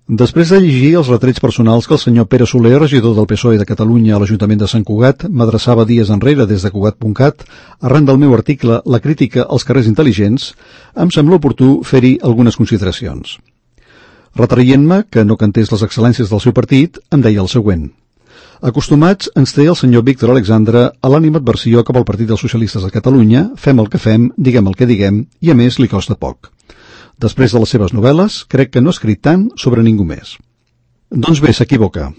Després de llegir els retrets personals que el senyor Pere Soler, regidor del PSOE de Catalunya a l'Ajuntament de Sant Cugat, m'adreçava dies enrere des de Cugat.cat, arran del meu article La crítica als carrers intel·ligents, em sembla oportú fer-hi algunes consideracions. Retraient-me que no cantés les excel·lències del seu partit, em deia el següent. Acostumats ens té el senyor Víctor Alexandre a l'animadversió cap al Partit dels Socialistes de Catalunya, fem el que fem, diguem el que diguem, i a més li costa poc. Després de les seves novel·les, crec que no ha escrit tant sobre ningú més. Doncs bé, s'equivoca.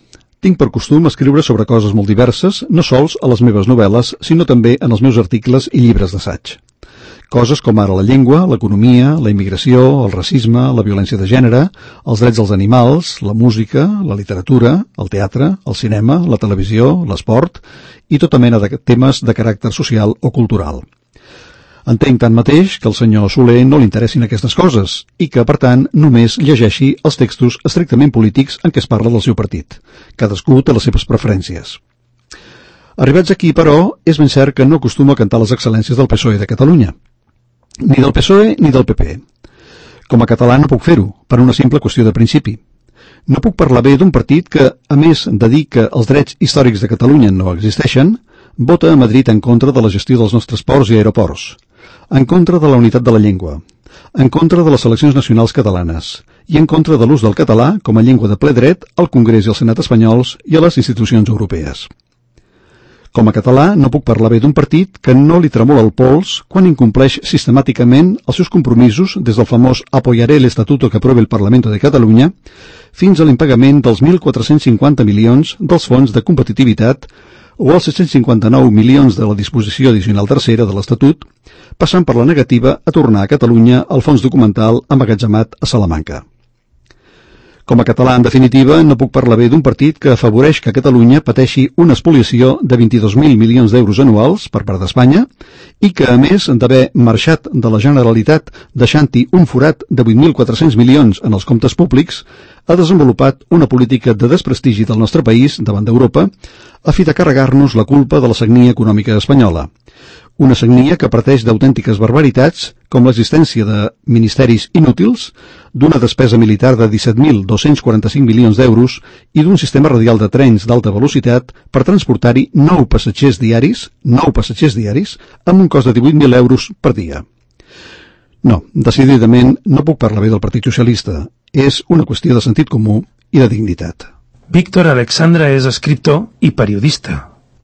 Tinc per costum escriure sobre coses molt diverses, no sols a les meves novel·les, sinó també en els meus articles i llibres d'assaig. Coses com ara la llengua, l'economia, la immigració, el racisme, la violència de gènere, els drets dels animals, la música, la literatura, el teatre, el cinema, la televisió, l'esport i tota mena de temes de caràcter social o cultural. Entenc tanmateix que al senyor Soler no li interessin aquestes coses i que, per tant, només llegeixi els textos estrictament polítics en què es parla del seu partit. Cadascú té les seves preferències. Arribats aquí, però, és ben cert que no acostumo a cantar les excel·lències del PSOE de Catalunya. Ni del PSOE ni del PP. Com a català no puc fer-ho, per una simple qüestió de principi. No puc parlar bé d'un partit que, a més de dir que els drets històrics de Catalunya no existeixen, vota a Madrid en contra de la gestió dels nostres ports i aeroports, en contra de la unitat de la llengua, en contra de les seleccions nacionals catalanes i en contra de l'ús del català com a llengua de ple dret al Congrés i al Senat espanyols i a les institucions europees. Com a català no puc parlar bé d'un partit que no li tremola el pols quan incompleix sistemàticament els seus compromisos des del famós «Apoyaré el estatuto que apruebe el Parlamento de Catalunya» fins a l'impagament dels 1.450 milions dels fons de competitivitat o els 759 milions de la disposició addicional tercera de l'Estatut, passant per la negativa a tornar a Catalunya el fons documental emmagatzemat a Salamanca. Com a català, en definitiva, no puc parlar bé d'un partit que afavoreix que Catalunya pateixi una espoliació de 22.000 milions d'euros anuals per part d'Espanya i que, a més d'haver marxat de la Generalitat deixant-hi un forat de 8.400 milions en els comptes públics, ha desenvolupat una política de desprestigi del nostre país davant d'Europa a fi de carregar-nos la culpa de la sagnia econòmica espanyola. Una sagnia que parteix d'autèntiques barbaritats com l'existència de ministeris inútils, d'una despesa militar de 17.245 milions d'euros i d'un sistema radial de trens d'alta velocitat per transportar-hi 9 passatgers diaris, amb un cost de 18.000 euros per dia. No, decididament no puc parlar bé del Partit Socialista. És una qüestió de sentit comú i de dignitat. Víctor Alexandre és escriptor i periodista.